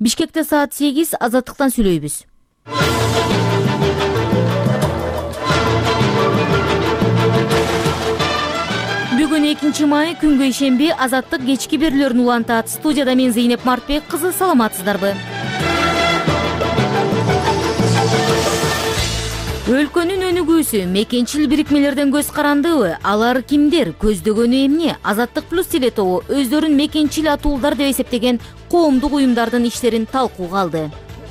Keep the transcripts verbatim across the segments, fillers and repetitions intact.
Бишкекте саат сегиз, Азаттыктан сүйлөйбүз. Бүгүн экинчи май, күнгө ишемби, Азаттык кечки берүүлөрүн улантат. Студияда мен Зейнеп Мартбек кызы, саламатсыздарбы? Өлкөнүн өнүгүүсү мекенчил бирикмелерден көз карандыбы? Алар кимдер? Көздөгөнү эмне? Азаттык плюс телетобу өздөрүн мекенчил атуулдар деп эсептеген коомдук уюмдардын иштерин талкууга алды.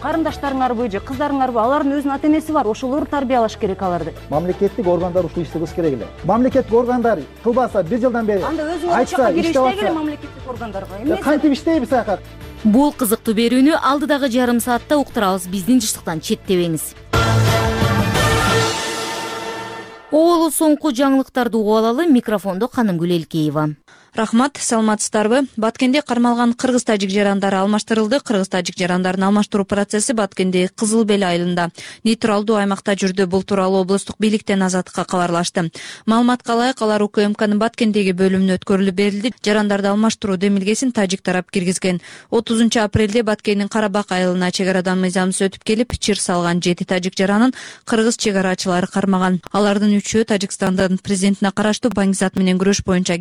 Карындаштарыңарбы же кыздарыңарбы, алардын өзүнүн ата энеси бар, ошолор тарбиялаш керек аларды. Мамлекеттик органдар ушул ишти кылыш керек эле. Мамлекеттик органдар кылбаса бир жылдан бери анда өзүң чакка кириште келе мамлекеттик органдарга. Эмне кантип иштейбиз ага? Бул кызыктуу берүүнү алдыдагы жарым саатта уктурабыз. Биздин жыштыктан четтебеңиз. Оолу соңку жаңылыктарды угуп алалы. Микрофондо Канымгүл Элкеева. Рахмат, саламатсыздарбы? Баткенде кармалган кыргыз-тажик жарандары алмаштырылды. Кыргыз-тажик жарандарын алмаштыруу процесси Баткенде Кызыл Бел айылында нейтралдуу аймакта жүрдү. Бул тууралуу облустук бийликтен Азаттыкка кабарлашты. Маалыматка ылайык, алар УКМКнын Баткендеги бөлүмүнө өткөрүлүп берилди. Жарандарды алмаштыруу демилгесин тажик тарап киргизген. отузунчу апрелде Баткендин Карабак айылына чек арадан мыйзамсыз өтүп келип, чыр салган жети тажик жаранын кыргыз чек арачылары кармаган. Алардын үчөө Тажикстандын президентине караштуу баңгизат менен күрөш боюнча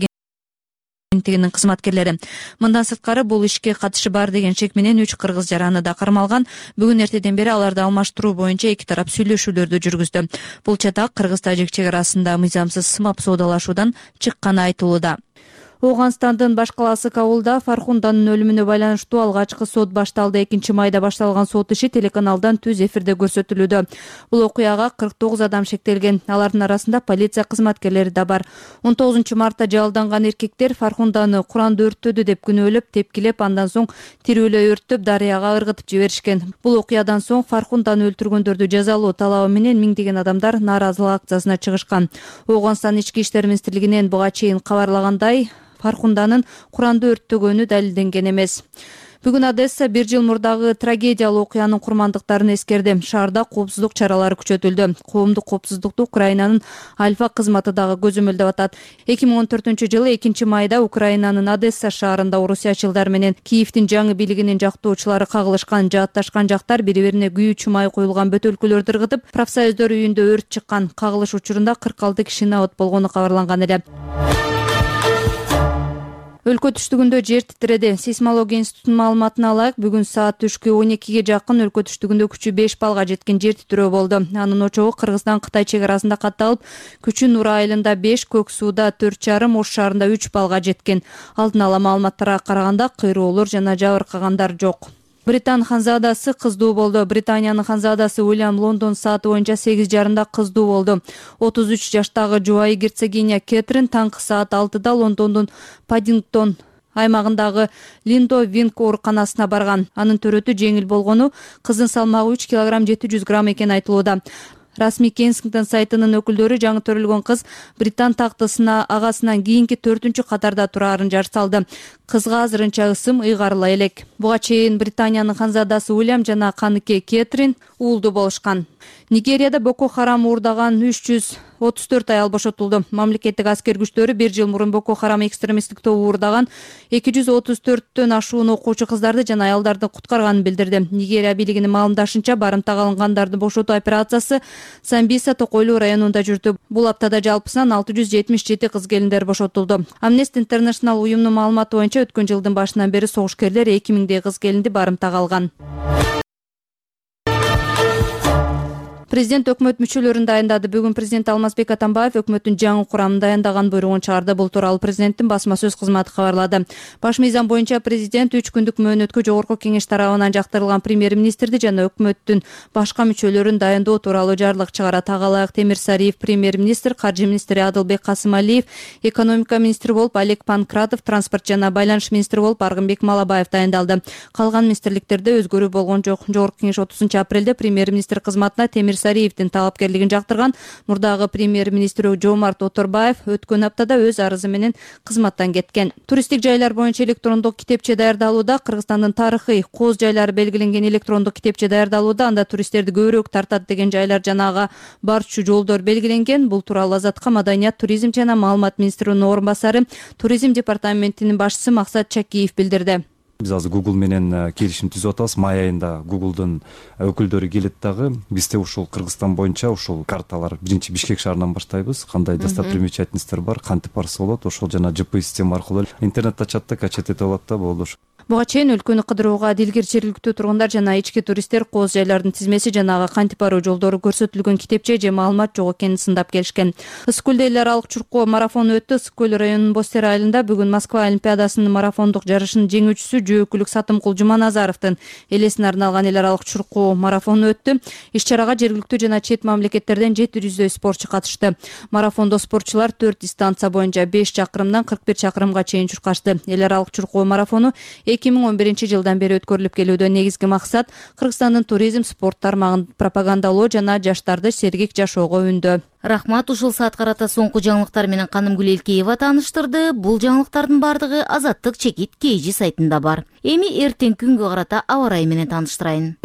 агенттигинин кызматкерлери. Мындан сырткары бул ишке катышы бар деген шек менен үч кыргыз жараны да кармалган. Бүгүн эртеден бери аларды алмаштыруу боюнча эки тарап сүйлөшүүлөрдү жүргүздү. Бул чатак кыргыз-тажик чек арасында мыйзамсыз сымап соодалашуудан чыкканы айтылууда. Ооганстандын баш калаасы Кабулда Фархунданын өлүмүнө байланыштуу алгачкы сот башталды. экинчи майда башталган сот иши телеканалдан түз эфирде көрсөтүлүүдө. Бул окуяга кырк тогуз адам шектелген. Алардын арасында полиция кызматкерлери да бар. он тогузунчу мартта жалданган эркектер Фархунданы Куранды өрттөдү деп күнөөлөп, тепкилеп, андан соң тирүүлөй өрттөп, дарыяга ыргытып жиберишкен. Бул окуядан соң Фархунданы өлтүргөндөрдү жазалоо талабы менен миңдеген адамдар нааразылык акциясына чыгышкан. Ооганстан ички иштер министрлигинен буга чейин кабарлагандай, Фархунданын Куранды өрттөгөнү далилденген эмес. Бүгүн Одесса бир жыл мурдагы трагедиялуу окуянын курмандыктарын эскерди. Шаарда коопсуздук чаралары күчөтүлдү. Коомдук коопсуздукту Украинанын Альфа кызматы дагы көзөмөлдөп атат. эки миң он төртүнчү жылы экинчи майда Украинанын Одесса шаарында орусиячылар менен Киевдин жаңы бийлигинин жактоочулары кагылышкан. Жаатташкан жактар бири-бирине күйүүчү май коюлган бөтөлкөлөрдү ыргытып, профсоюздөр үйүндө өрт чыккан. Кагылыш учурунда кырк алты кишинин абат болгону кабарланган эле. Өлкө түштүгүндө жер титиреди. Сейсмология институтунун маалыматына ылайык, бүгүн саат түшкү он экиге жакын өлкө түштүгүндө күчү беш баллга жеткен жер титирөө болду. Анын очогу Кыргызстан Кытай чек арасында катталып, күчү Нура айылында беш, Көк сууда төрт жарым, Ош шаарында үч баллга жеткен. Алдын ала маалыматтарга караганда кыйроолор жана жабыркагандар жок. Британ ханзадасы кыздуу болду. Британиянын ханзадасы Уильям Лондон сааты боюнча сегиз жарымда кыздуу болду. отуз үч жаштагы жубайы герцогиня Кэтрин таңкы саат алтыда Лондондун Паддингтон аймагындагы Линдо Винк ооруканасына барган. Анын төрөтү жеңил болгону, кыздын салмагы үч килограмм жети жүз грамм экени айтылууда. Расмий Кенсингтон сайтынын өкүлдөрү жаңы төрөлгөн кыз Британ тактысына агасынан кийинки төртүнчү катарда турарын жар салды. Кызга азырынча ысым ыйгарыла элек. Буга чейин Британиянын ханзадасы Уильям жана каныке Кэтрин уулду болушкан. Нигерияда Боко Харам уурдаган үч жүз отуз төрт аял бошотулду. Мамлекеттик аскер күчтөрү бир жыл мурун Боко Харам экстремисттик тобу уурдаган эки жүз отуз төрттөн ашуун окуучу кыздарды жана аялдарды куткарганын билдирди. Нигерия бийлигинин маалымдашынча, барымтага алынгандарды бошотуу операциясы Самбиса Токойлуу районунда жүрдү. Бул аптада жалпысынан алты жүз жетимиш жети кыз келиндер бошотулду. Amnesty International уюмунун маалыматы боюнча өткөн жылдын башынан бери согушкерлер эки миңдей кыз келинди барымтага алган. Президент өкмөт мүчөлөрүн дайындады. Бүгүн президент Алмазбек Атамбаев өкмөттүн жаңы курамын дайындаган буйругун чыгарды. Бул тууралуу президенттин басма сөз кызматы кабарлады. Баш мыйзам боюнча президент үч күндүк мөөнөткө жогорку кеңеш тарабынан жактырылган премьер-министрди жана өкмөттүн башка мүчөлөрүн дайындоо тууралуу жарлык чыгарат. Ага ылайык Темир Сариев премьер-министр, каржы министри Адылбек Касымалиев, экономика министри болуп Олег Панкратов, транспорт жана байланыш министри болуп Аргынбек Малабаев дайындалды. Калган министрликтерде өзгөрүү болгон жок. Жогорку кеңеш отузунчу апрелде премьер-министр кызматына Темир Сариевдин талапкерлигин жактырган. Мурдагы премьер-министр Жомарт Оторбаев өткөн аптада өз арызы менен кызматтан кеткен. Туристтик жайлар боюнча электрондук китепче даярдалууда. Кыргызстандын тарыхый кооз жайлары белгиленген электрондук китепче даярдалууда. Анда туристтерди көбүрөөк тартат деген жайлар жана ага барчу жолдор белгиленген. Бул тууралуу Азаттыкка Маданият, туризм жана маалымат министринин орун басары, туризм департаментинин башчысы Максат Чакиев билдирди. Биз азыр Google менен келишим түзүп атабыз. Май айында Google'дун өкүлдөрү келет дагы. Бизде ушул Кыргызстан боюнча ушул карталар биринчи Бишкек шаарынан баштайбыз. Кандай достопримечательностьтер бар, кантип барса болот, ошол жана джи пи эс система аркылуу интернет ачат да, качет этип алат да, болду. Буга чейин өлкөнү кыдырууга дилгир жергиликтүү тургундар жана ички туристтер кооз жайлардын тизмеси жанагы кантип баруу жолдору көрсөтүлгөн китепче же маалымат жок экенин сындап келишкен. Ысык көлдө эл аралык чуркоо марафону өттү. Ысык көл районунун Бостер айылында бүгүн Москва олимпиадасынын марафондук жарышынын жеңүүчүсү жөөкүлүк Сатымкул Жуманазаровдун элесине арналган эл аралык чуркоо марафону өттү. Иш чарага жергиликтүү жана чет мамлекеттерден жети жүздөй спортчу катышты. Марафондо спортчулар төрт дистанция боюнча беш чакырымдан кырк бир чакырымга чейин чуркашты. Эл аралык чуркоо марафону эки миң он биринчи жылдан бери өткөрүлүп келүүдө. Негизги максат Кыргызстандын туризм, спорт тармагын пропагандалоо жана жаштарды сергек жашоого үндөө. Рахмат, ушул саат карата соңку жаңылыктар менен Канымгүл Элкеева тааныштырды. Бул жаңылыктардын бардыгы Азаттык чекит kg сайтында бар. Эми эртең күнгө карата аба ырайы менен тааныштырайын.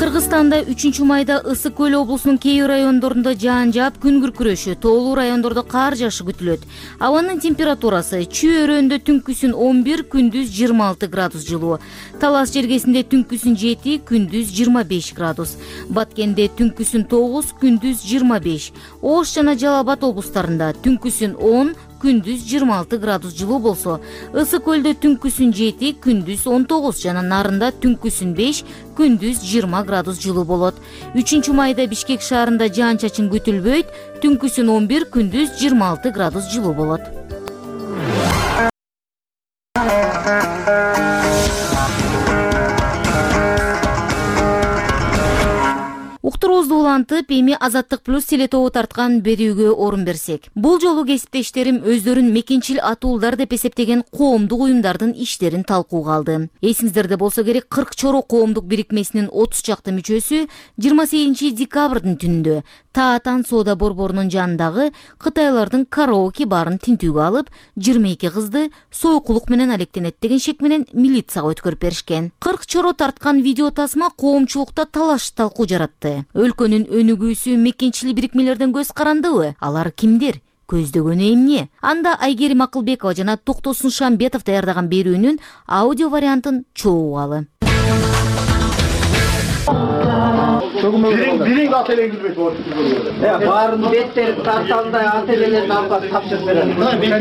Кыргызстанда үчүнчү майда Ысык көл облусунун кээ бир райондорунда жаан жаап, күн күркүрөшү, тоолуу райондордо кар жаашы күтүлөт. Абанын температурасы Чүй өрөөндө түнкүсүн он бир, күндүз жыйырма алты градус жылуу. Талас жергесинде түнкүсүн жети, күндүз жыйырма беш градус. Баткенде түнкүсүн тогуз, күндүз жыйырма беш. Ош жана Жалал Абад облустарында түнкүсүн он, күндүз жыйырма алты градус жылуу болсо, Ысык көлдө түнкүсүн жети, күндүз он тогуз жана Нарында түнкүсүн беш, күндүз жыйырма градус жылуу болот. үчүнчү майда Бишкек шаарында жаан чачын күтүлбөйт, түнкүсүн он бир, күндүз жыйырма алты градус жылуу болот. Уктуруубузду улантып, эми Азаттык плюс телетобу тарткан берүүгө орун берсек. Бул жолу кесиптештерим өздөрүн мекенчил атуулдар деп эсептеген коомдук уюмдардын иштерин талкууга алды. Эсиңиздерде болсо керек, кырк чоро коомдук бирикмесинин отуз чакты мүчөсү жыйырма сегизинчи декабрдын түнүндө Таатан соода борборунун жанындагы кытайлардын караоке барын тинтүүгө алып, жыйырма эки кызды сойкулук менен алектенет деген шек менен милицияга өткөрүп беришкен. кырк чоро тарткан видео тасма коомчулукта талаш талкуу жаратты. Өлкөнүн өнүгүүсү мекенчил бирикмелерден көз карандыбы? Алар кимдер? Көздөгөнү эмне? Анда Айгерим Акылбекова жана Токтосун Шамбетов даярдаган берүүнүн аудио вариантын чогуугалы. Биринги ат элеңилбейт болот. Баарын беттери тарталдай ат элелерин алып тапшырып берет.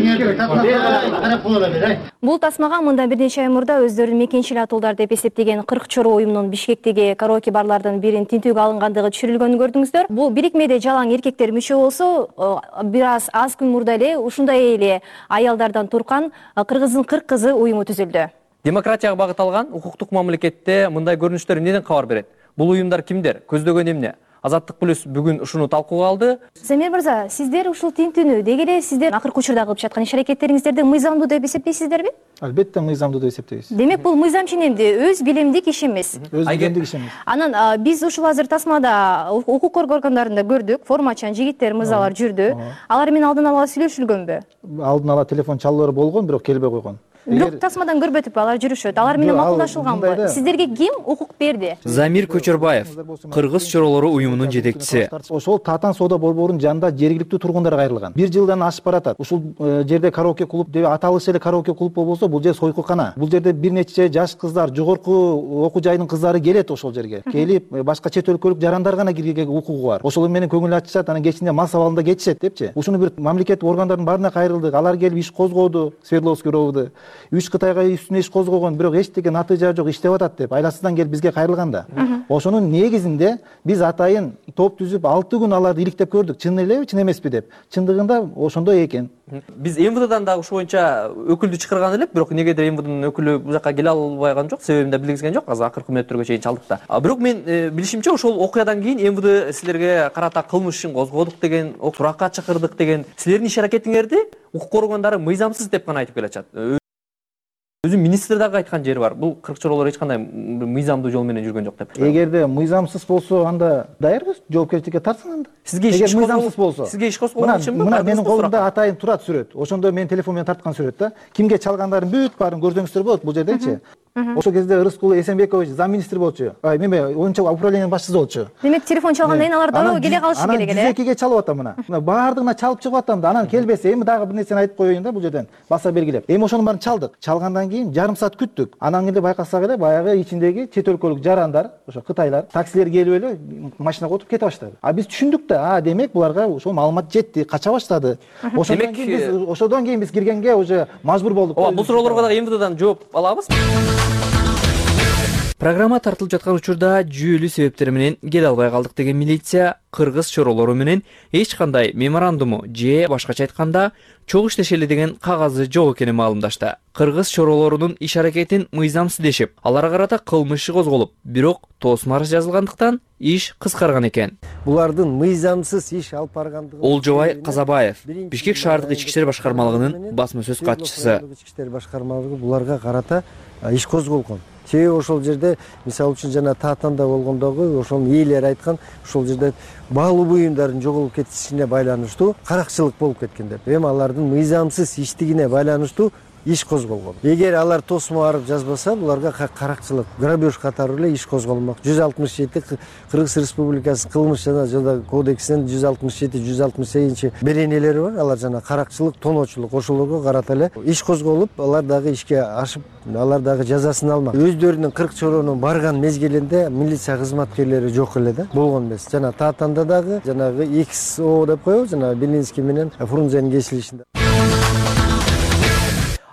Бул тасмага мындан бир нече ай мурда өздөрүн мекенчил атуулдар деп эсептеген кырк чоро уюмдун Бишкектеги караоке барлардын бирин тинтүүгө алынгандыгы түшүрүлгөнүн көрдүңүздөр. Бул бирикмеде жалаң эркектер мүчө болсо, бир аз аз күн мурда эле ушундай эле аялдардан турган Кыргыздын кырк кызы уюму түзүлдү. Демократияга багыт алган укуктук мамлекетте мындай көрүнүштөр эмнеден кабар берет? Бул уюмдар кимдер? Көздөгөн эмне? Азаттык плюс бүгүн ушуну талкууга алды. Замир мырза, сиздер ушул тинтүүнү деги эле сиздер акыркы учурда кылып жаткан иш-аракеттериңиздерди мыйзамдуу деп эсептейсиздерби? Албетте мыйзамдуу деп эсептейбиз. Демек бул мыйзам ченемди, өз билимдик иш эмес. Өз билимдик иш эмес. Анан биз ушул азыр тасмада укук коргоо органдарында көрдүк, формачан жигиттер, мырзалар жүрдү. Алар менен алдын ала сүйлөшүлгөнбү? Алдын ала телефон чалуулары болгон, бирок келбей койгон. Бирок тасмадан көрбөтүп алар жүрүшөт. Алар менен макулдашылганбы? Сиздерге ким укук берди? Замир Көчөрбаев, Кыргыз чоролору уюмунун жетекчиси. Ошол Таатан соода борборунун жанында жергиликтүү тургундар кайрылган. Бир жылдан ашып баратат. Ушул жерде караоке клуб деп аталышы эле караоке клуб болбосо, бул жер сойкукана. Бул жерде бир нече жаш кыздар, жогорку окуу жайынын кыздары келет ошол жерге. Келип, башка чет өлкөлүк жарандар гана кирүүгө укугу бар. Ошол менен көңүл ачышат, анан кечинде мас абалында кетишет депчи. Ушуну бир мамлекеттик органдардын баарына кайрылдык. Алар келип иш козгоду, Свердловский ровду. Үч Кытайга үстүнө иш козгогон, бирок эч деген натыйжа жок, иштеп атат деп айласынан келип бизге кайрылганда. Ошонун негизинде биз атайын топ түзүп алты күн аларды иликтеп көрдүк. Чын элеби, чын эмеспи деп. Чындыгында ошондой экен. Биз эм вэ дэдан да ушул боюнча өкүлдү чакырган элек, бирок негедир эм вэ дэнин өкүлү бул жака келе албаган жок, себебин да билгизген жок. Азыр акыркы мүнөттөргө чейин чалдык да. Бирок мен билишимче ошол окуядан кийин эм вэ дэ силерге карата кылмыш ишин козгодук деген, суракка чакырдык деген, силердин иш-аракетиңерди укук коргондары мыйзамсыз деп гана айтып келатышат. Өзү министр дагы айткан жери бар. Бул кырк чоролор эч кандай мыйзамдуу жол менен жүргөн жок деп. Эгерде мыйзамсыз болсо, анда даярбыз, жоопкерчиликке тартсын анда. Сизге иш мыйзамсыз болсо. Сизге иш козгогон үчүнбү? Мына менин колумда атайын турат сүрөт. Ошондо мен телефон менен тарткан сүрөт да. Кимге чалгандарын бүт баарын көрсөңүздөр болот бул жердечи. Ошол кезде Рыскул Эсенбекович замминистр болчу. Эме оюнча управлениянын башчысы болчу. Демек телефон чалгандан кийин алар дароо келе калышы керек эле. Анан жүз экиге чалып атам мына. Мына баардыгына чалып чыгып атам да. Анан келбесе эми дагы бир нерсени айтып коеюн да бул жерден. Баса белгилеп. Эми ошонун баарын чалдык. Чалгандан кийин жарым саат күттүк. Анан кийин байкасак эле баягы ичиндеги чет өлкөлүк жарандар, ошо Кытайлар, таксилер келип эле машинага отуруп кете баштады. А биз түшүндүк да, а демек буларга ошол маалымат жетти, кача баштады. Ошондон кийин биз ошодон кийин биз киргенге уже мажбур болдук. Ооба, бул суроолорго дагы эм вэ дэдан жооп алабыз. Программа тартылып жаткан учурда жүйөлүү себептер менен келе албай калдык деген милиция кыргыз чоролору менен эч кандай меморандуму же башкача айтканда чогуу иштешели деген кагазы жок экенин маалымдашты. Кыргыз чоролорунун иш аракетин мыйзамсыз дешип, аларга карата кылмыш иши козголуп, бирок тоосун арыз жазылгандыктан иш кыскарган экен. Булардын мыйзамсыз иш алып баргандыгы Олжобай Казабаев, Бишкек шаардык ички иштер башкармалыгынын басма сөз катчысы. Ички иштер башкармалыгы буларга карата иш козголгон. Себеби ошол жерде мисалы үчүн жана Таатанда болгондогу ошонун ээлери айткан ошол жерде баалуу буюмдардын жоголуп кетишине байланыштуу каракчылык болуп кеткен деп. Эми алардын мыйзамсыз иштигине байланыштуу иш козголгон. Эгер алар тосмо барып жазбаса, буларга каракчылык, грабеж катары эле иш козголмок. жүз алтымыш жети Кыргыз Республикасынын кылмыш жана жаза кодексинин жүз алтымыш жети жүз алтымыш сегизинчи беренелери бар. Алар жана каракчылык, тоноочулук ошолорго карата эле иш козголуп, алар дагы ишке ашып, алар дагы жазасын алмак. Өздөрүнүн кырк чоронун барган мезгилинде милиция кызматкерлери жок эле да, болгон эмес. Жана Таатанда дагы жанагы X O деп коебуз, жана Белинский менен Фрунзенин кесилишинде.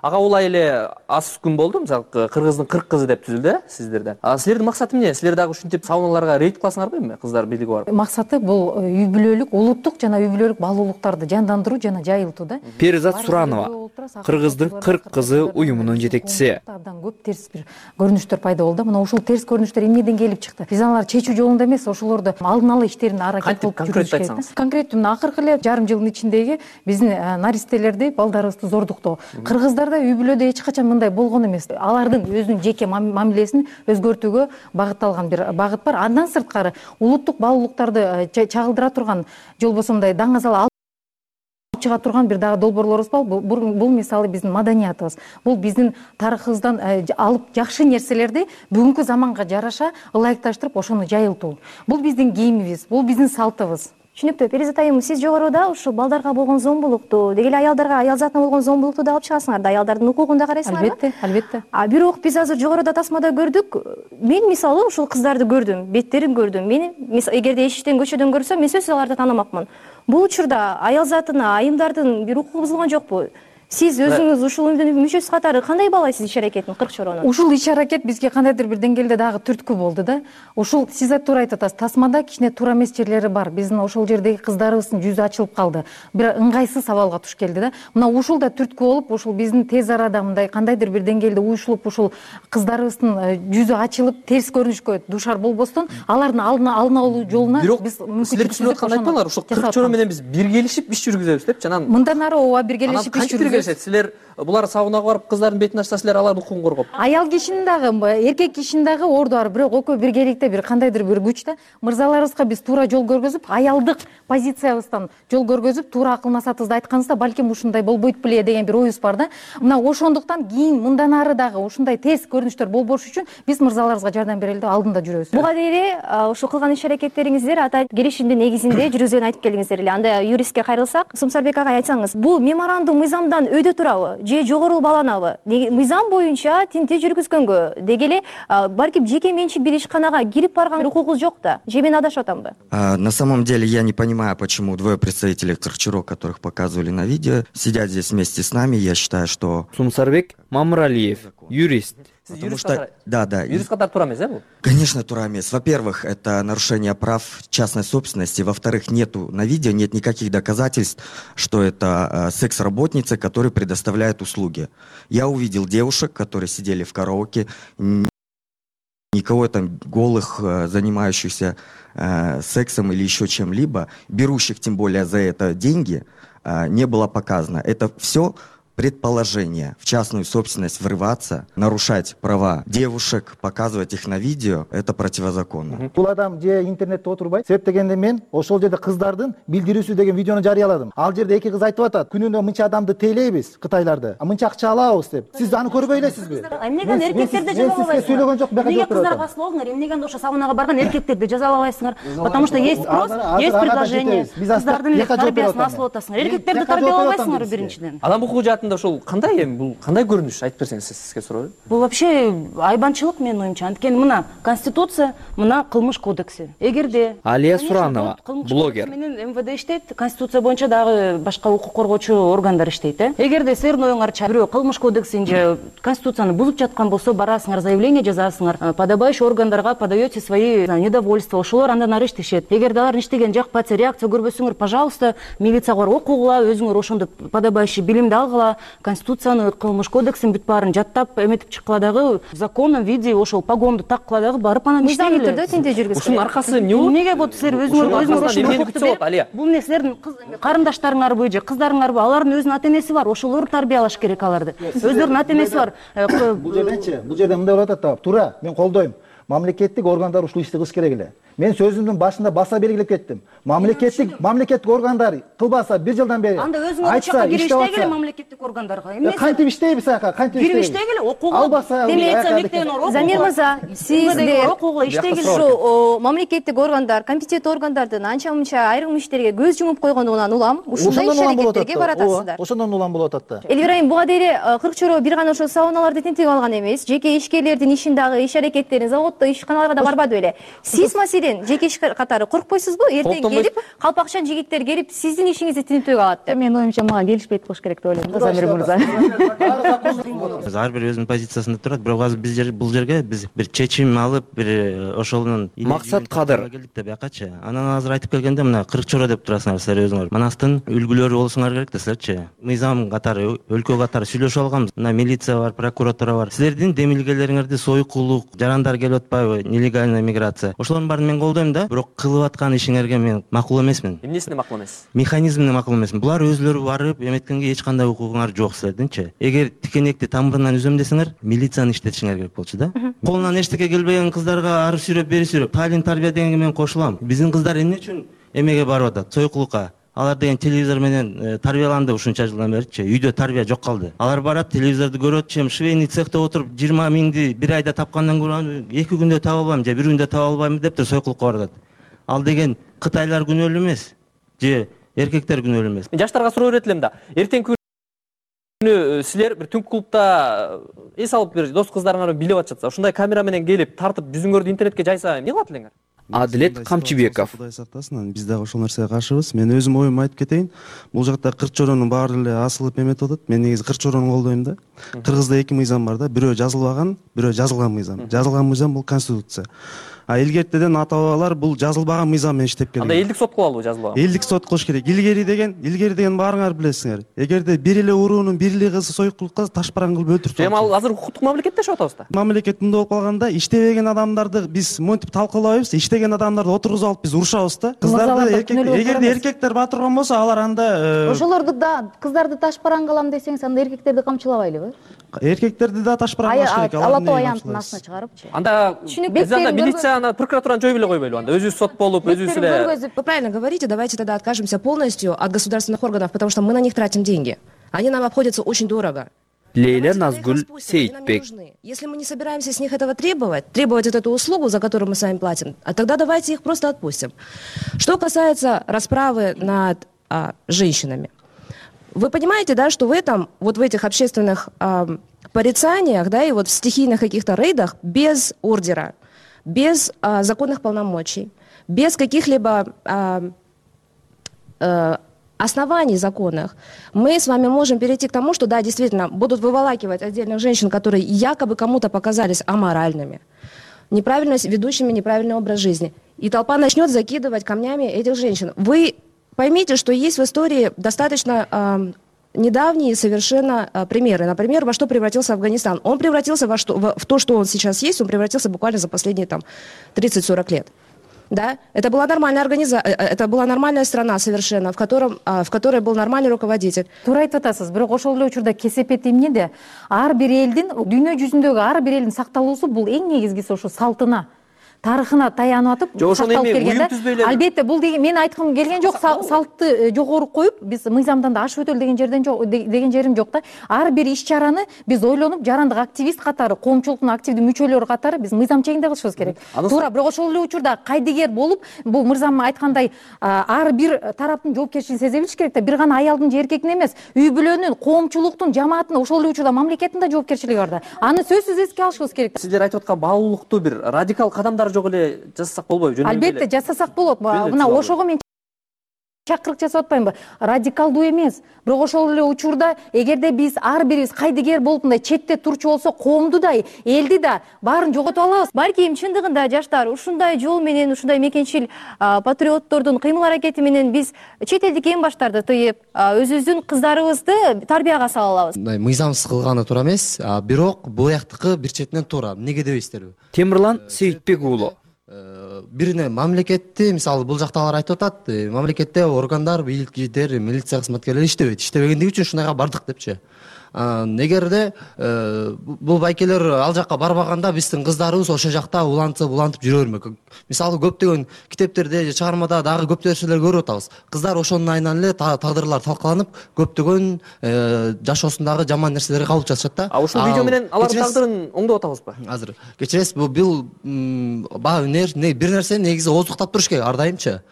Ага, улай эле аз күн болду, мисалы кыргыздын кырк кызы деп түзүлдү сиздерде. А силердин максаты эмне? Силер дагы ушинтип сауналарга рейд кыласыңарбы эми кыздар бийлиги барып? Максаты бул үй бүлөлүк, улуттук жана үй бүлөлүк баалуулуктарды жандандыруу жана жайылтуу да. Перизат Суранова, кыргыздын кырк кызы уюмунун жетекчиси. Абдан көп терс бир көрүнүштөр пайда болду. Мына ушул терс көрүнүштөр эмнеден келип чыкты? Биз аларды чечүү жолунда эмес, ошолорду алдын ала иштерин аракет кылып жүрүш керек. Конкреттүү мына акыркы эле жарым жылдын ичиндеги биздин наристелерди, балдарыбызды зордуктоо. Кыргыздарда үй бүлөдө эч качан мындай болгон эмес. Алардын өзүнүн жеке мамилесин өзгөртүүгө багытталган бир багыт бар. Андан сырткары улуттук баалуулуктарды чагылдыра турган, же болбосо мындай даңазал чыга турган бир дагы долбоорлорубуз бар. Бул мисалы биздин маданиятыбыз. Бул биздин тарыхыбыздан алып жакшы нерселерди бүгүнкү заманга жараша ылайыкташтырып ошону жайылтуу. Бул биздин кийимибиз, бул биздин салтыбыз. Түшүнүктүү. Перизат айым, сиз жогоруда ушул балдарга болгон зомбулукту, деги эле аялдарга, аял затына болгон зомбулукту да алып чыгасыңар да, аялдардын укугун да карайсыңарбы? Албетте, албетте. А бирок биз азыр жогоруда тасмада көрдүк. Мен мисалы ушул кыздарды көрдүм, беттерин көрдүм. Мен эгерде эшиктен көчөдөн көрсөм, мен сөзсүз аларды таанымакмын. Бул учурда аял затына, айымдардын бир укугу бузулган жокпу? Сиз өзүңүз ушул уюмдун мүчөсү катары кандай баалайсыз иш аракетин, кырк чоронун? Ушул иш аракет бизге кандайдыр бир деңгээлде дагы түрткү болду да. Ушул сиз туура айтып атасыз. Тасмада кичине туура эмес жерлери бар. Биздин ошол жердеги кыздарыбыздын жүзү ачылып калды. Бир ыңгайсыз абалга туш келди да. Мына ушул да түрткү болуп, ушул биздин тез арада мындай кандайдыр бир деңгээлде уюшулуп, ушул кыздарыбыздын жүзү ачылып, терс көрүнүшкө душар болбостон, алардын алдына алына алуу жолуна биз мүмкүнчүлүк түзүп атканды айтпаңар. Ушул кырк чорон менен биз биргелешип иш жүргүзөбүз деп жанан. Мындан ары ооба биргелешип иш жүргүзөбүз. Силер булар сабынага барып кыздардын бетин ачса, силер алардын укугун коргоп. Аял кишинин дагы, эркек кишинин дагы орду бар, бирок экөө биргеликте бир кандайдыр бир күчтө мырзаларыбызга биз туура жол көргөзүп, аялдык позициябыздан жол көргөзүп, туура акыл насаатыбызды айтканыбызда балким ушундай болбойт беле деген бир оюбуз бар да. Мына ошондуктан кийин мындан ары дагы ушундай терс көрүнүштөр болбош үчүн биз мырзаларыбызга жардам берели деп алдында жүрөбүз. Буга дейин ошо кылган иш аракеттериңиздер ата келишимдин негизинде жүргүзгөнүн айтып келдиңиздер эле. Анда юристке кайрылсак, Сумсарбек ага айтсаңыз, бул меморандум мыйзамдан өйдө турабы же жогору бааланабы? Мыйзам боюнча тинтүү жүргүзгөнгө, деги эле балким жеке менчик бир ишканага кирип барган укугубуз жок да. Же мен адашып атамбы? На самом деле я не понимаю, почему двое представителей Кырчуро, которых показывали на видео, сидят здесь вместе с нами. Я считаю, что... Сумсарбек Мамралиев, юрист. Потому что, да, да. Юрист катар туура эмес, э бул? Конечно, туура эмес. Во-первых, это нарушение прав частной собственности. Во-вторых, нету на видео, нет никаких доказательств, что это э, секс-работницы, которые предоставляют услуги. Я увидел девушек, которые сидели в караоке, никого там голых, э, занимающихся э, сексом или еще чем-либо, берущих тем более за это деньги, э, не было показано. Это все предположение в частную собственность врываться, нарушать права девушек, показывать их на видео, это противозаконно. Бул адам же интернетте отурбайт. Себеп дегенде мен ошол жерде кыздардын билдирүүсү деген видеону жарыяладым. Ал жерде эки кыз айтып атат, күнүнө мынча адамды тейлейбиз Кытайларды. А мынча акча алабыз деп. Сиз аны көрбөй элесизби? Эмнеге эркектерди жазалабайсыңар? Сөйлөгөн жок, бияка Эмнеге кыздарга асыл болуңар? Эмнеге ошо саунага барган эркектерди жазалабайсыңар? Потому что есть спрос, есть предложение. Кыздардын эле тарбиясын асыл атасыңар. Эркектерди тарбиялабайсыңар биринчиден. Адам укугу жаатында ушул кандай эми бул кандай көрүнүш айтып берсеңиз сизге суроо. Бул вообще айбанчылык менин оюмча. Анткени мына конституция, мына кылмыш кодекси. Эгерде Алия Суранова, блогер. Менен эм вэ дэ иштейт, конституция боюнча дагы башка укук коргоочу органдар иштейт, э. Эгерде силердин оюңарча бирөө кылмыш кодексин же конституцияны бузуп жаткан болсо, барасыңар, заявление жазасыңар, подобающий органдарга подаете свои недовольства, ошолор андан ары иштешет. Эгерде алар иштеген жакпаса, реакция көрбөсөңөр, пожалуйста, милицияга барып окугула, өзүңөр ошондо подобающий билимди алгыла, конституцияны, кылмыш кодексин бүт баарын жаттап эметип чыккыла дагы, в законном виде ошол погонду таккыла дагы барып анан иштегиле. Мыйзамдуу түрдө тинтүү жүргүзгүлө. Ушунун аркасы эмне болот? Эмнеге болот? Силер өзүңөр өзүңөр бул эмне силердин карындаштарыңарбы же кыздарыңарбы? Алардын өзүнүн ата энеси бар, ошолор тарбиялаш керек аларды. Өздөрүнүн ата энеси бар. Бул жерденчи, бул жерде мындай болуп атат да. Туура, мен колдойм. Мамлекеттик органдар ушул ишти кылыш керек эле. Мен сөзүмдүн башында баса белгилеп кеттим. Мамлекеттик мамлекеттик органдар кылбаса бир жылдан бери анда өзүңөр ошоко кирип иштегиле мамлекеттик органдарга. Эмне? Кантип иштейбиз аяка? Кантип иштейбиз? Кирип иштегиле, окугула. Албаса, милиция мектебине окугула. Замир мырза, сиздер окугула иштегиле. Ушу мамлекеттик органдар, компетенттүү органдардын анча-мынча айрым иштерге көз жумуп койгондугунан улам, ушундай иш аракеттерге баратасыздар. Ошондон улам болуп атат да. Элвира айым, буга дейре кырк чороо бир гана ошо сауналарды тинтип алган эмес, жеке ишкерлердин ишин дагы, иш аракеттерин заводдо, ишканаларга да барбады беле. Сиз маселен жеке иш катары коркпойсузбу? Эртең келип, калпакчан жигиттер келип, сиздин ишиңизди тинтүүгө алат деп. Менин оюмча мага келишпейт болуш керек деп ойлойм да, Замир мырза. Ар бир өзүнүн позициясында турат, бирок азыр биз бул жерге биз бир чечим алып, бир ошолунун максат кадыр келдик да биякачы. Анан азыр айтып келгенде мына кырк чоро деп турасыңар силер өзүңөр. Манастын үлгүлөрү болсуңар керек да силерчи. Мыйзам катары, өлкө катары сүйлөшүп алганбыз. Мына милиция бар, прокуратура бар. Силердин демилгелериңерди сойкулук, жарандар келип атпайбы, нелегальный миграция. Ошолордун баарын мен колдойм да, бирок кылып аткан ишиңерге мен макул эмесмин. Эмнесине макул эмес? Механизмине макул эмесмин. Булар өзүлөрү барып эметкенге эч кандай укугуңар жок силердинчи. Эгер тикенекти тамырынан үзөм десеңер, милицияны иштетишиңер керек болчу да. Колунан эчтеке келбеген кыздарга ары сүйрөп, бери сүйрөп, талим тарбия дегенге мен кошулам. Биздин кыздар эмне үчүн эмеге барып атат? Сойкулукка. Алар деген телевизор менен тарбияланды ушунча жылдан беричи. Үйдө тарбия жок калды. Алар барат, телевизорду көрөт, чем швейный цехте отуруп жыйырма миңди бир айда тапкандан көрө эки күндө таба албайм же бир күндө таба албайм деп сойкулукка барат. Ал деген кытайлар күнөөлүү эмес же эркектер күнөөлүү эмес. Жаштарга суроо берет элем да. Эртеңки күнү силер бир түнкү клубда эс алып бир дос кыздарыңар билип атышат. Ушундай камера менен келип тартып жүзүңөрдү интернетке жайса эмне кылат элеңер? Адилет Камчыбеков. Кудай сактасын, биз дагы ошол нерсеге каршыбыз. Мен өзүм оюмду айтып кетейин. Бул жакта кырк чоронун баары эле асылып эметип атат. Мен негизи кырк чорону колдойм да. Кыргызда эки мыйзам бар да. Бирөө жазылбаган, бирөө жазылган мыйзам. Жазылган мыйзам бул конституция. А илгертеден ата бабалар бул жазылбаган мыйзам менен иштеп келген. Анда элдик сот кылалыбы жазылбаган? Элдик сот кылыш керек. Илгери деген, илгери деген баарыңар билесиңер. Эгерде бир эле уруунун бир эле кызы сойкулукка ташбаран кылып өлтүрүп. Эми ал азыр укуктук мамлекетте жашап атабыз да. Мамлекет мындай болуп калганда, иштебеген адамдарды биз монтип талкуулабайбыз, иштеген адамдарды отургузуп алып биз урушабыз да. Кыздарды эркек, эгерде эркектер батырган болсо, алар анда ошолорду да кыздарды ташбаран кылам десеңиз, анда эркектерди камчылабайлыбы? Эркектерди да ташбаран кылыш керек. Алатоо аянттын астына чыгарыпчы. Анда биз анда милицияны, прокуратураны жойбой эле койбойлубу анда? Өзүбүз сот болуп, өзүбүз эле. Вы правильно говорите, давайте тогда откажемся полностью от государственных органов, потому что мы на них тратим деньги. Они нам обходятся очень дорого. Лейля Назгуль Сейтбек. Если мы не собираемся с них этого требовать, требовать вот эту услугу, за которую мы с вами платим, а тогда давайте их просто отпустим. Что касается расправы над а, женщинами. Вы понимаете, да, что в этом, вот в этих общественных а, порицаниях, да, и вот в стихийных каких-то рейдах без ордера, без а, законных полномочий, без каких-либо а, а, оснований законных, мы с вами можем перейти к тому, что, да, действительно, будут выволакивать отдельных женщин, которые якобы кому-то показались аморальными, неправильно ведущими неправильный образ жизни. И толпа начнет закидывать камнями этих женщин. Вы поймите, что есть в истории достаточно э, недавние совершенно э, примеры. Например, во что превратился Афганистан. Он превратился во что, в, в то, что он сейчас есть, он превратился буквально за последние там тридцать-сорок лет. Да, это была нормальная организация, это была нормальная страна совершенно, в котором, в которой был нормальный руководитель. Туура айтып атасыз, бирок ошол эле учурда кесепет эмне да ар бир элдин, дүйнө жүзүндөгү ар бир элдин сакталуусу бул эң негизгиси ошо салтына, тарыхына таянып атып сакталып келген да. Албетте бул деген мен айткым келген жок, салтты жогору коюп, биз мыйзамдан да ашып өтөлү деген жерден жок, деген жерим жок да. Ар бир иш-чараны биз ойлонуп, жарандык активист катары, коомчулуктун активдүү мүчөлөрү катары биз мыйзам чегинде кылышыбыз керек. Туура, бирок ошол эле учурда кайдыгер болуп, бул мырзам айткандай ар бир тараптын жоопкерчилигин сезе билиш керек да. Бир гана аялдын же эркектин эмес, үй бүлөнүн, коомчулуктун, жамааттын, ошол эле учурда мамлекеттин да жоопкерчилиги бар да. Аны сөзсүз эске алышыбыз керек. Сиздер айтып аткан баалуулукту бир радикал кадамдар жок эле жасасак болбойбу? Албетте жасасак болот. Мына ошого мен чакырык жасап атпаймынбы? Радикалдуу эмес. Бирок ошол эле учурда эгерде биз ар бирибиз кайдыгер болуп мындай четте турчу болсо, коомду да, элди да баарын жоготуп алабыз. Балким чындыгында жаштар ушундай жол менен, ушундай мекенчил патриоттордун кыймыл аракети менен биз чет элдик эң баштарды тыйып, өзүбүздүн кыздарыбызды тарбияга сала алабыз. Мындай мыйзамсыз кылганы туура эмес, бирок буяктыкы бир четинен туура. Эмнеге дебейсизтерби? Темирлан Сейитбек уулу. Бирине мамлекетти, мисалы бул жактагылар айтып атат, мамлекетте органдар, бийликчилер, милиция кызматкерлери иштебейт. Иштебегендиги үчүн ушундайга бардык депчи. Эгерде бул байкелер ал жакка барбаганда биздин кыздарыбыз ошол жакта улантып улантып жүрө бермек. Мисалы көптөгөн китептерде же чыгармада дагы көп нерселер көрүп атабыз. Кыздар ошонун айынан эле тагдырлар талкаланып, көптөгөн жашоосундагы жаман нерселерге кабылып жатышат да. А ушул видео менен алардын тагдырын оңдоп атабызбы? Азыр кечиресиз, бул бир нерсе негизи ооздуктап туруш керек ар дайымчы.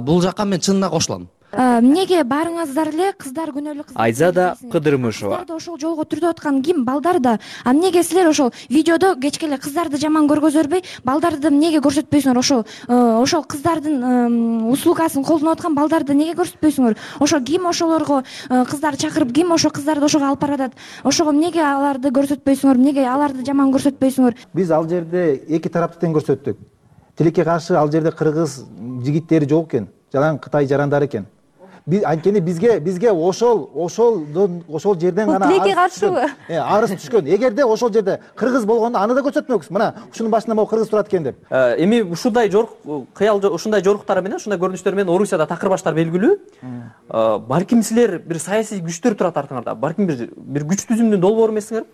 Бул жакка мен чынына кошулам. Эмнеге баарыңыздар эле кыздар күнөөлүү кыздар Айзада Кыдырмышева. Ошол жолго түртүп аткан ким? Балдар да. А эмнеге силер ошол видеодо кечке эле кыздарды жаман көргөзө бербей, балдарды эмнеге көрсөтпөйсүңөр? Ошол ошол кыздардын услугасын колдонуп аткан балдарды неге көрсөтпөйсүңөр? Ошо ким ошолорго кыздарды чакырып, ким ошо кыздарды ошого алып баратат? Ошого эмнеге аларды көрсөтпөйсүңөр? Эмнеге аларды жаман көрсөтпөйсүңөр? Биз ал жерде эки тарапты тең көрсөттүк. Тилекке каршы ал жерде кыргыз жигиттери жок экен, жалаң Кытай жарандары экен. Биз анткени бизге бизге ошол ошолдон ошол жерден гана тилекке каршыбы? Арыз түшкөн. Эгерде ошол жерде кыргыз болгондо аны да көрсөтмөкпүз. Мына ушунун башында могу кыргыз турат экен деп. Эми ушундай жорук кыял ушундай жоруктар менен, ушундай көрүнүштөр менен Орусияда такыр баштар белгилүү. Балким силер бир саясий күчтөр турат артыңарда. Балким бир бир күч түзүмдүн долбоору эмессиңер?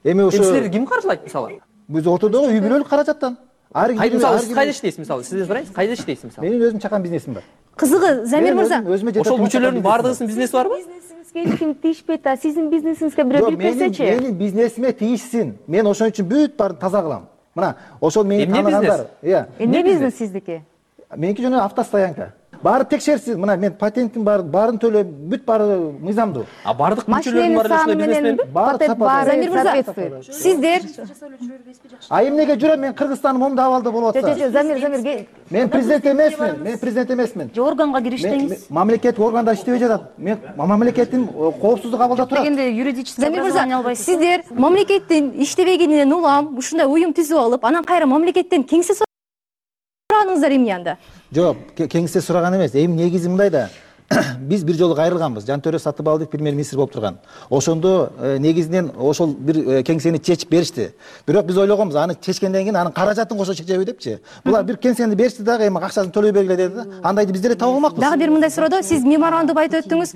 Эми ошо силер ким каржылайт мисалы? Биз ортодогу үй бүлөлүк каражаттан. Кайда мисалы сиз кайда иштейсиз мисалы? Сизден сурайынчы, кайда иштейсиз мисалы? Менин өзүм чакан бизнесим бар. Кызыгы, Замир мырза, ошол мүчөлөрдүн баардыгынын бизнеси барбы? Бизнесиңизге эч ким тийишпейт, а сиздин бизнесиңизге бирөө кирип берсечи? Менин бизнесиме тийишсин. Мен ошон үчүн бүт баарын таза кылам. Мына, ошол мени тааныгандар. Иә. Эмне бизнес сиздики? Меники жана автостоянка. Баары текшерсиз. Мына мен патенттин баарын төлөп, бүт баары мыйзамдуу. А бардык мүчөлөрдүн баары ушундай бизнесменби? Баары Замир мырза, сиздер А эмнеге жүрөм? Мен Кыргызстандын момундай абалда болуп атса. Жо, Замир, Замир, мен президент эмесмин. Мен президент эмесмин. Же органга кириштиңиз? Мамлекеттик органда иштебей жатат. Мен мамлекеттин коопсуздук абалда турат. Дегенде юридический образование албайсыз. Сиздер мамлекеттин иштебегенинен улам ушундай уюм түзүп алып, анан кайра мамлекеттен кеңсе сураганыңыздар эмне анда? Жок, кеңсе сураган эмес. Эми негизи мындай да. Биз бир жолу кайрылганбыз. Жантөрө Сатыбалдиев премьер-министр болуп турган. Ошондо негизинен ошол бир кеңсени чечип беришти. Бирок биз ойлогонбуз, аны чечкенден кийин анын каражатын кошо чечеби депчи. Булар бир кеңсени беришти дагы, эми акчасын төлөй бергиле деди да. Андайды биз деле таба алмакпыз. Дагы бир мындай суроодо сиз меморандум айтып өттүңүз.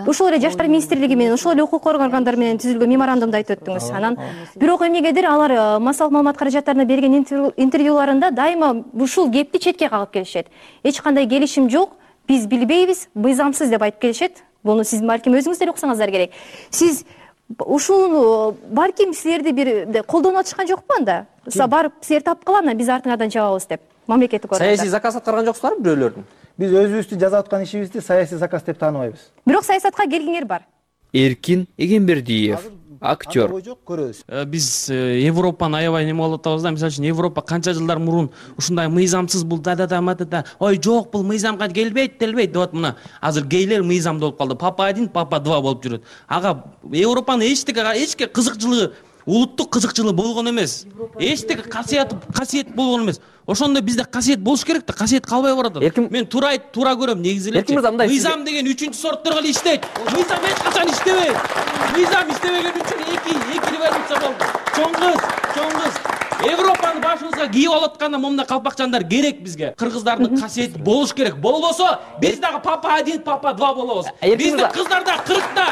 Ошол эле жаштар министрлиги менен, ошол эле укук органдары менен түзүлгөн меморандумду айтып өттүңүз. Анан бирок эмнегедир алар массалык маалымат каражаттарына берген интервьюларында дайыма ушул кепти четке кагып келишет. Эч кандай келишим жок. Биз билбейбиз, мыйзамсыз деп айтып келишет. Буну сиз балким өзүңүз деле уксаңыздар керек. Сиз ушул балким силерди бир колдонуп атышкан жокпу анда? Барып силер тапкыла, анан биз артыңардан чабабыз деп. Мамлекеттик органдар. Саясий заказ аткарган жоксуздарбы бирөөлөрдүн? Биз өзүбүздү жасап аткан ишибизди саясий заказ деп тааныбайбыз. Бирок саясатка келгиңер бар. Эркин Эгембердиев, актер. Биз Европаны аябай неме кылып атабыз да. Мисалы үчүн Европа канча жылдар мурун ушундай мыйзамсыз бул да-да-да матата. Ой, жок, бул мыйзамга келбейт, делбейт деп мына. Азыр гейлер мыйзамда болуп калды. Папа один, папа два болуп жүрөт. Ага Европанын эчтеке эчке кызыкчылыгы, улуттук кызыкчылыгы болгон эмес. Эчтеке касиет касиет болгон эмес. Ошондо бизде касиет болуш керек да, касиет калбай баратат. Мен туура туура көрөм негизи эле. Мыйзам деген үчүнчү сорттор эле иштейт. Мыйзам эч качан иштебейт. Мыйзам иштебеген үчүн эки эки революция болду. Чоң кыз, чоң кыз. Европаны башыбызга кийип алатканда момундай калпакчандар керек бизге. Кыргыздардын касиети болуш керек. Болбосо биз дагы папа один, папа два болобуз. Биздин кыздар да кыркта,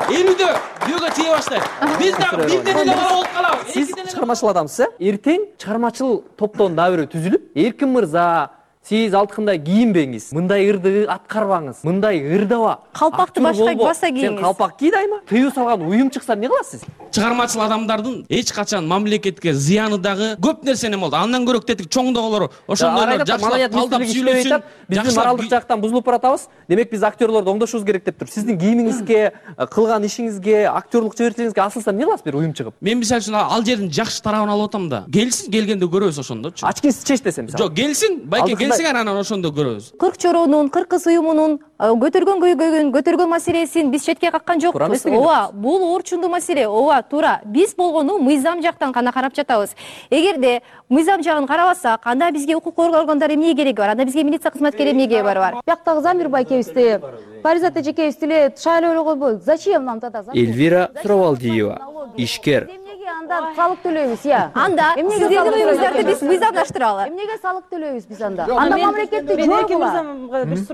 элүүдө күйөөгө чыга баштайт. Биз дагы бирден эле бала болуп калабыз. Сиз чыгармачыл адамсыз, э? Эртең чыгармачыл топтон дагы бирөө түзүлүп, Эркин мырза, сиз алткандай кийинбеңиз, мындай ырды аткарбаңыз, мындай ырдаба. Калпакты башка баса кийиңиз. Сен калпак ки дайыма? Тыюу салган уюм чыкса эмне кыласыз? Чыгармачыл адамдардын эч качан мамлекетке зыяны дагы көп нерсени болду. Андан көрөк тетик чоңдогулор ошондойлор жакшылап талдап сүйлөсүн. Биздин моралдык жактан бузулуп баратабыз. Демек биз актерлорду оңдошубуз керек деп тур. Сиздин кийимиңизге, кылган ишиңизге, актерлук чеберчилигиңизге асылса эмне кыласыз бир уюм чыгып? Мен мисалы үчүн ал жердин жакшы тарабын алып атам да. Келсин, келгенде көрөбүз ошондочу. Ачкиңизди чеч десем мисалы. Жок, келсин, байке келсиңер, анан ошондо көрөбүз. Кырк чороонун, кыргыз уюмунун көтөргөн көйгөйүн, көтөргөн маселесин биз четке каккан жокпуз. Ооба, бул орчундуу маселе. Ооба, туура. Биз болгону мыйзам жактан гана карап жатабыз. Эгерде мыйзам жагын карабасак, анда бизге укук коргоо органдары эмне кереги бар? Анда бизге милиция кызматкери эмне кереги бар? Бияктагы Замир байкебизди, Паризат эжекебизди шайлоо койбойбуз. Зачем нам тогда? Эльвира Суравалдиева, ишкер. Анда салык төлөйбүз, я. Анда сиздердин уюңуздарды биз мыйзамдаштыралы. Эмнеге салык төлөйбүз биз анда? Анда мамлекетти жоюгула.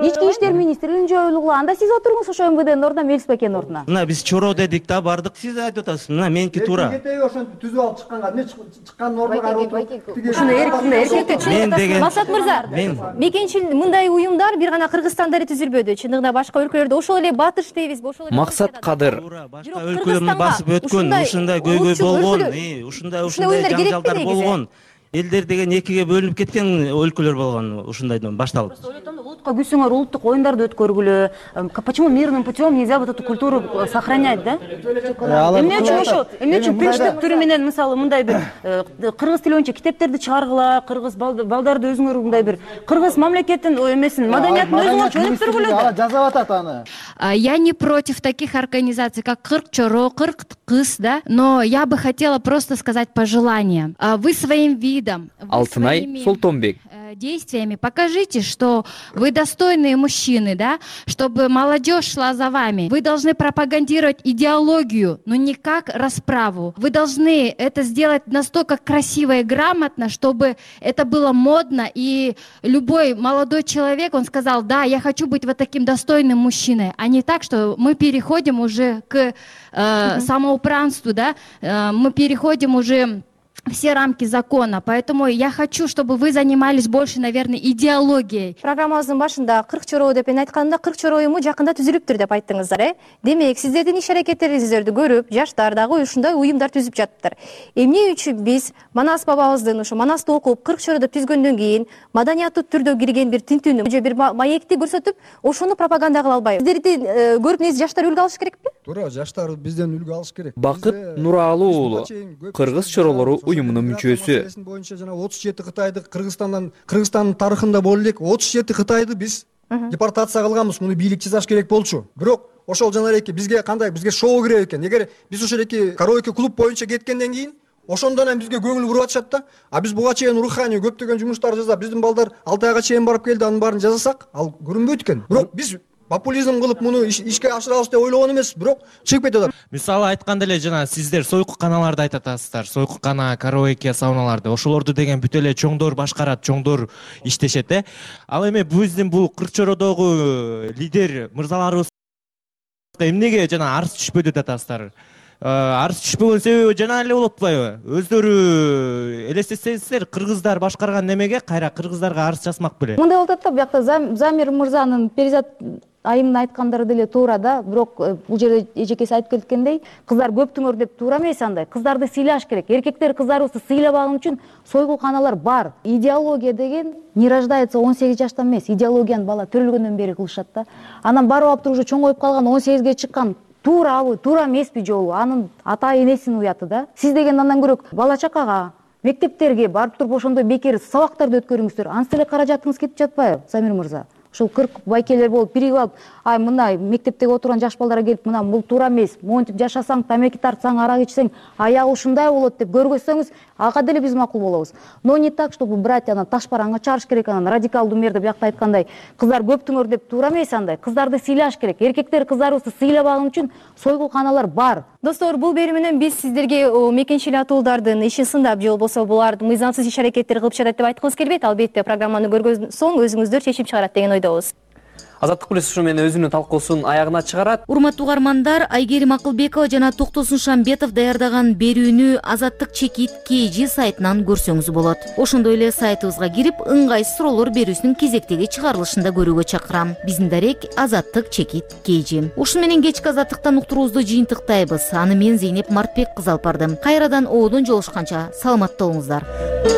Ички иштер министрлигин жоюлугула. Анда сиз отуруңуз ошо эм вэ дэнин ордуна, Мелис байкенин ордуна. Мына биз чоро дедик да, бардык. Сиз айтып атасыз. Мына меники туура. Эркекеги ошентип түзүп алып чыкканга, эмне чыккандын ордуна карап отуруп. Ушуну эркинде эркекте Мен деген Масат мырза, мекенчил мындай уюмдар бир гана Кыргызстанда эле түзүлбөдү. Чындыгында башка өлкөлөрдө ошол эле Батыш дейбиз, ошол эле Максат Кадыр. Башка өлкөлөрдүн басып өткөн, ушундай көйгөй болгон, ушундай ушундай жаңжалдар болгон. Элдер деген экиге бөлүнүп кеткен өлкөлөр болгон, ушундайдан башталып. Улутка күсүңөр, улуттук оюндарды өткөргүлө. Почему мирным путем нельзя вот эту культуру сохранять, да? Эмне үчүн ошо, эмне үчүн принцип түрү менен мисалы мындай бир кыргыз тили боюнча китептерди чыгаргыла, кыргыз балдарды өзүңөр мындай бир кыргыз мамлекеттин эмесин, маданиятын өзүңөр өнүктүргүлө. Ала жазап атат аны. Я не против таких организаций, как Кырк Чоро, Кырк Кыз, да, но я бы хотела просто сказать пожелание. Вы своим видом, Алтынай Султонбек, действиями покажите, что вы достойные мужчины, да, чтобы молодежь шла за вами. Вы должны пропагандировать идеологию, но не как расправу. Вы должны это сделать настолько красиво и грамотно, чтобы это было модно, и любой молодой человек, он сказал, да, я хочу быть вот таким достойным мужчиной, а не так, что мы переходим уже к э, самоуправству, да, э, мы переходим уже все рамки закона. Поэтому я хочу, чтобы вы занимались больше, наверное, идеологией. Программабыздын башында Кырк Чоро деп айтканда, Кырк Чоро уюму жакында түзүлүптүр деп айттыңыздар, э? Демек, сиздердин иш аракеттериңиздерди көрүп, жаштар дагы ушундай уюмдар түзүп жатыптыр. Эмне үчүн биз Манас бабабыздын ошо Манасты окуп, Кырк Чороду түзгөндөн кийин маданияттуу түрдө кирген бир тинтүүнү, же бир маекти көрсөтүп, ошону пропаганда кыла албайбыз. Сиздердин көрүп негизи жаштар үлгү алыш керекпи? Туура, жаштар бизден үлгү алыш керек. Бакыт Нуралы уулу, Кыргыз Чоролору уюмунун мүчөсү. Боюнча жана отуз жети Кытайды Кыргызстандан, Кыргызстандын тарыхында боло элек отуз жети Кытайды биз депортация кылганбыз. Муну бийлик жасаш керек болчу. Бирок ошол жана эки бизге кандай, бизге шоу керек экен. Эгер биз ошол эки караоке клуб боюнча кеткенден кийин ошондон эми бизге көңүл буруп атышат да. А биз буга чейин руханий көптөгөн жумуштар жасап, биздин балдар алты айга чейин барып келди, анын баарын жасасак, ал көрүнбөйт экен. Бирок биз популизм кылып муну ишке ашырабыз деп ойлогон эмес, бирок чыгып кетип атат. Мисалы айтканда эле жана сиздер сойку каналарды айтып атасыздар, сойку кана, караоке, сауналарды. Ошолорду деген бүт эле чоңдор башкарат, чоңдор иштешет, э. Ал эми биздин бул Кырк Чородогу лидер мырзаларыбыз эмнеге жана арыз түшпөдү деп атасыздар? Арыз түшпөгөн себеби жана эле болуп атпайбы? Өздөрү элестетсеңиздер, кыргыздар башкарган немеге кайра кыргыздарга арыз жазмак беле? Мындай болуп атат да, биякта Замир мырзанын Перизат айымдын айткандары деле туура да, бирок бул жерде эжекеси айтып кеткендей, кыздар көптүңөр деп туура эмес андай. Кыздарды сыйлаш керек. Эркектер кыздарыбызды сыйлабаган үчүн сойгул каналар бар. Идеология деген не рождается он сегиз жаштан эмес, идеологияны бала төрөлгөндөн бери кылышат да. Анан барып алып туруп уже чоңоюп калган он сегизге чыккан туурабы, туура эмеспи жолу, анын ата энесинин уяты да. Сиз деген андан көрөк бала чакага, мектептерге барып туруп ошондой бекер сабактарды өткөрүңүздөр. Ансы эле каражатыңыз кетип жатпайбы, Замир мырза? ушул кырк байкелер болуп биригип алып, ай мына мектептеги отурган жаш балдарга келип, мына бул туура эмес, монтип жашасаң, тамеки тартсаң, арак ичсең, аягы ушундай болот деп көргөзсөңүз, ага деле биз макул болобуз. Но не так, чтобы брать анан ташбараңга чыгарыш керек, анан радикалдуу мер деп биякта айткандай, кыздар көптүңөр деп туура эмес андай. Кыздарды сыйлаш керек. Эркектер кыздарыбызды сыйлабаган үчүн сойгулканалар бар. Достор, бул берүүнөн биз сиздерге мекенчил атуулардын ишин сындап, же болбосо булар мыйзамсыз иш аракеттер кылып жатат деп айткыбыз келбейт. Албетте программаны көргөн соң өзүңүздөр чечип чыгарат деген ойдобуз. Азаттык плюс ушу менен өзүнүн талкуусун аягына чыгарат. Урматтуу угармандар, Айгерим Акылбекова жана Токтосун Шамбетов даярдаган берүүнү Азаттык чекит кей жи сайтынан көрсөңүз болот. Ошондой эле сайтыбызга кирип, ыңгайсыз суроолор берүүсүнүн кезектеги чыгарылышында көрүүгө чакырам. Биздин дарек Азаттык чекит кей жи. Ушун менен кечки Азаттыктан уктуруубузду жыйынтыктайбыз. Аны мен Зейнеп Мартбек кызы алып бардым. Кайрадан оодон жолушканча саламатта болуңуздар.